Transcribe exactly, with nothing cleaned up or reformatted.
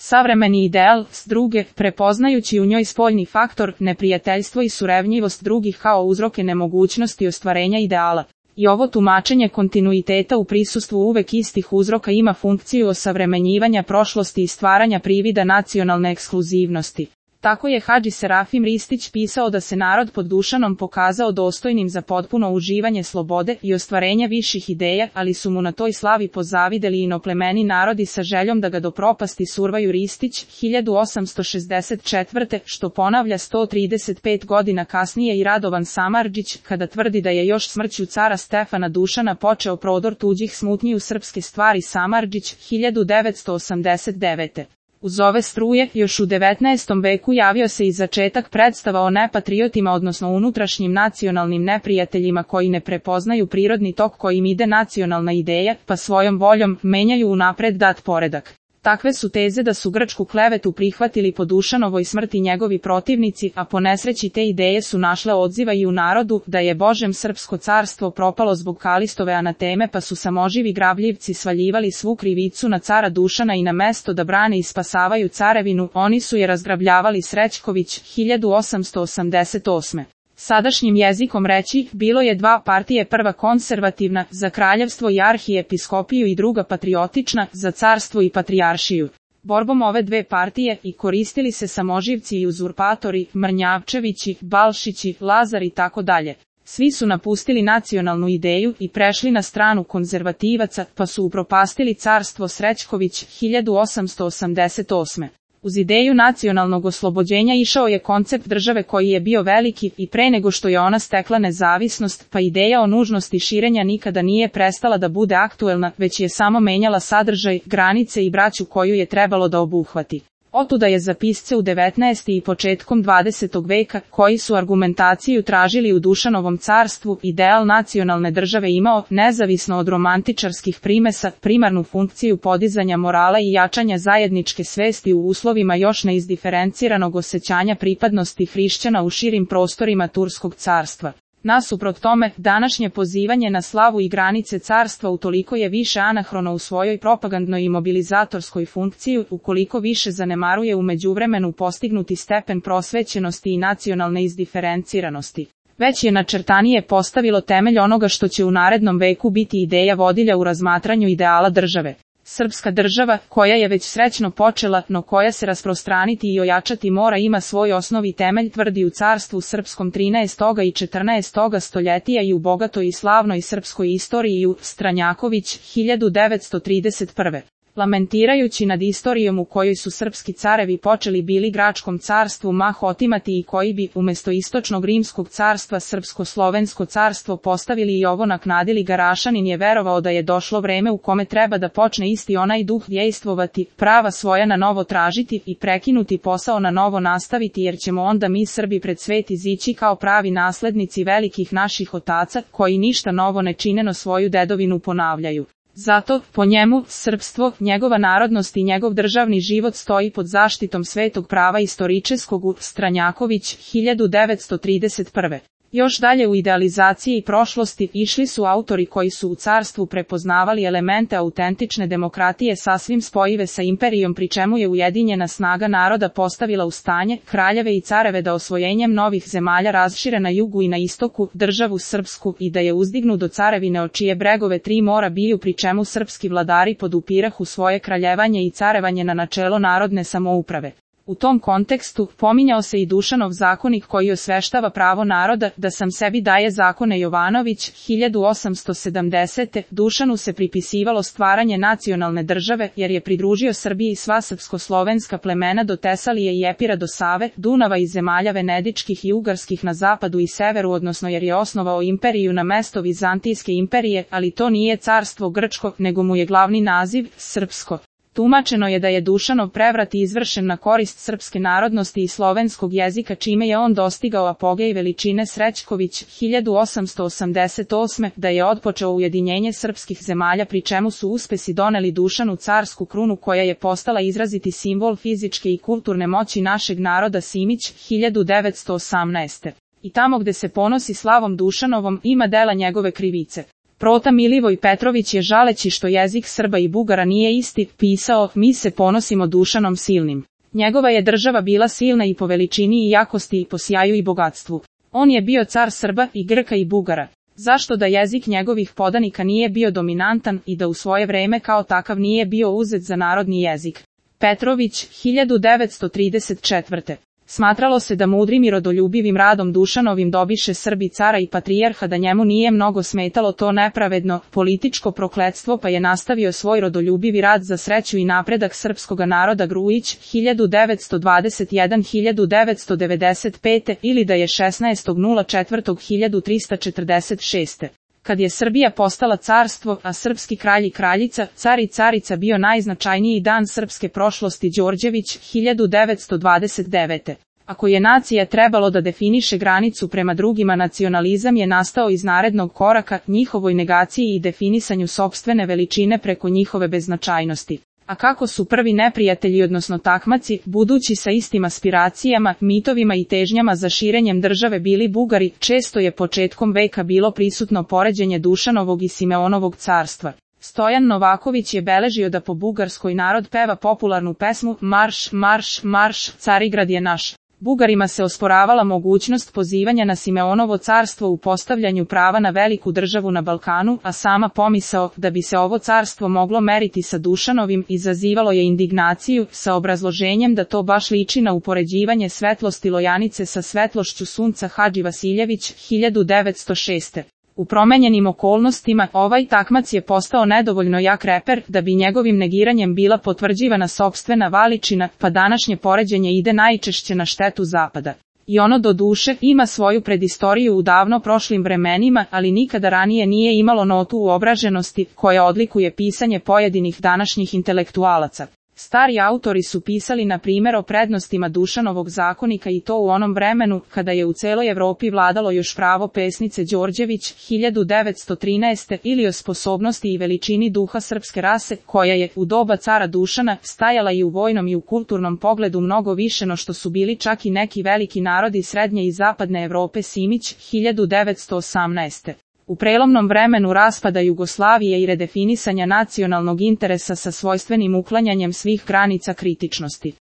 savremeni ideal, s druge, prepoznajući u njoj spoljni faktor, neprijateljstvo i surevnjivost drugih kao uzroke nemogućnosti ostvarenja ideala. I ovo tumačenje kontinuiteta u prisustvu uvek istih uzroka ima funkciju osavremenjivanja prošlosti i stvaranja privida nacionalne ekskluzivnosti. Tako je Hadži Serafim Ristić pisao da se narod pod Dušanom pokazao dostojnim za potpuno uživanje slobode i ostvarenje viših ideja, ali su mu na toj slavi pozavideli inoplemeni narodi sa željom da ga do propasti survaju. Ristić, hiljadu osamsto šezdeset četvrte. što ponavlja sto trideset pet godina kasnije i Radovan Samardžić, kada tvrdi da je još smrću cara Stefana Dušana počeo prodor tuđih smutnji u srpske stvari. Samardžić, hiljadu devetsto osamdeset devete. Uz ove struje, još u devetnaestom veku javio se i začetak predstava o nepatriotima, odnosno unutrašnjim nacionalnim neprijateljima koji ne prepoznaju prirodni tok kojim ide nacionalna ideja, pa svojom voljom menjaju unapred dat poredak. Takve su teze da su grčku klevetu prihvatili po Dušanovoj smrti njegovi protivnici, a po nesreći te ideje su našle odziva i u narodu, da je Božem srpsko carstvo propalo zbog Kalistove anateme, pa su samoživi grabljivci svaljivali svu krivicu na cara Dušana i na mesto da brane i spasavaju carevinu, oni su je razgrabljavali. Srećković, hiljadu osamsto osamdeset osme. Sadašnjim jezikom reći, bilo je dva partije, prva konzervativna, za kraljevstvo i arhijepiskopiju, i druga patriotična, za carstvo i patrijaršiju. Borbom ove dve partije i koristili se samoživci i uzurpatori, Mrnjavčevići, Balšići, Lazar i tako dalje. Svi su napustili nacionalnu ideju i prešli na stranu konzervativaca, pa su upropastili carstvo. Srećković, hiljadu osamsto osamdeset osme. Uz ideju nacionalnog oslobođenja išao je koncept države koji je bio veliki i pre nego što je ona stekla nezavisnost, pa ideja o nužnosti širenja nikada nije prestala da bude aktuelna, već je samo menjala sadržaj, granice i braću koju je trebalo da obuhvati. Otuda je za pisce u devetnaestom i početkom dvadesetog veka, koji su argumentaciju tražili u Dušanovom carstvu, ideal nacionalne države imao, nezavisno od romantičarskih primesa, primarnu funkciju podizanja morala i jačanja zajedničke svesti u uslovima još neizdiferenciranog osjećanja pripadnosti hrišćana u širim prostorima Turskog carstva. Nasuprot tome, današnje pozivanje na slavu i granice carstva utoliko je više anahrono u svojoj propagandnoj i mobilizatorskoj funkciji, ukoliko više zanemaruje u međuvremenu postignuti stepen prosvećenosti i nacionalne izdiferenciranosti. Već je načrtanije postavilo temelj onoga što će u narednom veku biti ideja vodilja u razmatranju ideala države. Srpska država, koja je već srećno počela, no koja se rasprostraniti i ojačati mora, ima svoj osnovi temelj, tvrdi u carstvu srpskom trinaestog i četrnaestog stoljetija i u bogatoj i slavnoj srpskoj istoriji. U Stranjaković, hiljadu devetsto trideset prve. Lamentirajući nad istorijom u kojoj su srpski carevi počeli bili Gračkom carstvu mah otimati i koji bi, umjesto istočnog rimskog carstva, srpsko-slovensko carstvo postavili i ovo naknadili, Garašanin je verovao da je došlo vreme u kome treba da počne isti onaj duh dejstvovati, prava svoja na novo tražiti i prekinuti posao na novo nastaviti, jer ćemo onda mi Srbi pred svet izići kao pravi naslednici velikih naših otaca, koji ništa novo ne čineno svoju dedovinu ponavljaju. Zato, po njemu, srpstvo, njegova narodnost i njegov državni život stoji pod zaštitom svetog prava istoričeskog. U Stranjaković, hiljadu devetsto trideset prve. Još dalje u idealizaciji prošlosti išli su autori koji su u carstvu prepoznavali elemente autentične demokratije sasvim spojive sa imperijom, pri čemu je ujedinjena snaga naroda postavila u stanje kraljeve i careve da osvojenjem novih zemalja razšire na jugu i na istoku državu srpsku i da je uzdignu do carevine o čije bregove tri mora biju, pri čemu srpski vladari podupirahu svoje kraljevanje i carevanje na načelo narodne samouprave. U tom kontekstu pominjao se i Dušanov zakonik koji osveštava pravo naroda da sam sebi daje zakone. Jovanović, hiljadu osamsto sedamdesete. Dušanu se pripisivalo stvaranje nacionalne države jer je pridružio Srbiji sva srpsko-slovenska plemena do Tesalije i Epira do Save, Dunava i zemalja venedičkih i ugarskih na zapadu i severu, odnosno jer je osnovao imperiju na mesto Vizantijske imperije, ali to nije carstvo grčko, nego mu je glavni naziv srpsko. Tumačeno je da je Dušanov prevrat izvršen na korist srpske narodnosti i slovenskog jezika, čime je on dostigao apogej veličine. Srećković, hiljadu osamsto osamdeset osme. Da je otpočeo ujedinjenje srpskih zemalja, pri čemu su uspesi doneli Dušanu carsku krunu koja je postala izraziti simbol fizičke i kulturne moći našeg naroda. Simić, hiljadu devetsto osamnaeste. I tamo gde se ponosi slavom Dušanovom, ima dela njegove krivice. Prota Milivoj Petrović je žaleći što jezik Srba i Bugara nije isti, pisao: mi se ponosimo Dušanom Silnim. Njegova je država bila silna i po veličini i jakosti i po sjaju i bogatstvu. On je bio car Srba i Grka i Bugara. Zašto da jezik njegovih podanika nije bio dominantan i da u svoje vreme kao takav nije bio uzet za narodni jezik? Petrović, hiljadu devetsto trideset četvrte. Smatralo se da mudrim i rodoljubivim radom Dušanovim dobiše Srbi cara i patrijarha, da njemu nije mnogo smetalo to nepravedno političko prokletstvo, pa je nastavio svoj rodoljubivi rad za sreću i napredak srpskoga naroda. Grujić, hiljadu devetsto dvadeset jedan do hiljadu devetsto devedeset pete. ili da je šesnaestog četvrtog hiljadu trista četrdeset šeste. Kad je Srbija postala carstvo, a srpski kralj i kraljica, car i carica bio najznačajniji dan srpske prošlosti. Đorđević, hiljadu devetsto dvadeset devete. Ako je nacija trebalo da definiše granicu prema drugima, nacionalizam je nastao iz narednog koraka, njihovoj negaciji i definisanju sopstvene veličine preko njihove beznačajnosti. A kako su prvi neprijatelji odnosno takmaci, budući sa istim aspiracijama, mitovima i težnjama za širenjem države bili Bugari, često je početkom veka bilo prisutno poređenje Dušanovog i Simeonovog carstva. Stojan Novaković je beležio da po bugarskoj narod peva popularnu pesmu Marš, marš, marš, Carigrad je naš. Bugarima se osporavala mogućnost pozivanja na Simeonovo carstvo u postavljanju prava na veliku državu na Balkanu, a sama pomisao da bi se ovo carstvo moglo meriti sa Dušanovim izazivalo je indignaciju, sa obrazloženjem da to baš liči na upoređivanje svetlosti Lojanice sa svetlošću sunca. Hadži Vasiljević, hiljadu devetsto šeste. U promenjenim okolnostima, ovaj takmac je postao nedovoljno jak reper da bi njegovim negiranjem bila potvrđivana sopstvena veličina, pa današnje poređenje ide najčešće na štetu Zapada. I ono do duše ima svoju predistoriju u davno prošlim vremenima, ali nikada ranije nije imalo notu uobraženosti koja odlikuje pisanje pojedinih današnjih intelektualaca. Stari autori su pisali na primjer o prednostima Dušanovog zakonika i to u onom vremenu kada je u celoj Evropi vladalo još pravo pesnice. Đorđević, hiljadu devetsto trinaeste. ili o sposobnosti i veličini duha srpske rase, koja je, u doba cara Dušana, stajala i u vojnom i u kulturnom pogledu mnogo više no što su bili čak i neki veliki narodi srednje i zapadne Evrope. Simić, hiljadu devetsto osamnaeste. U prelomnom vremenu raspada Jugoslavije i redefinisanja nacionalnog interesa sa svojstvenim uklanjanjem svih granica kritičnosti.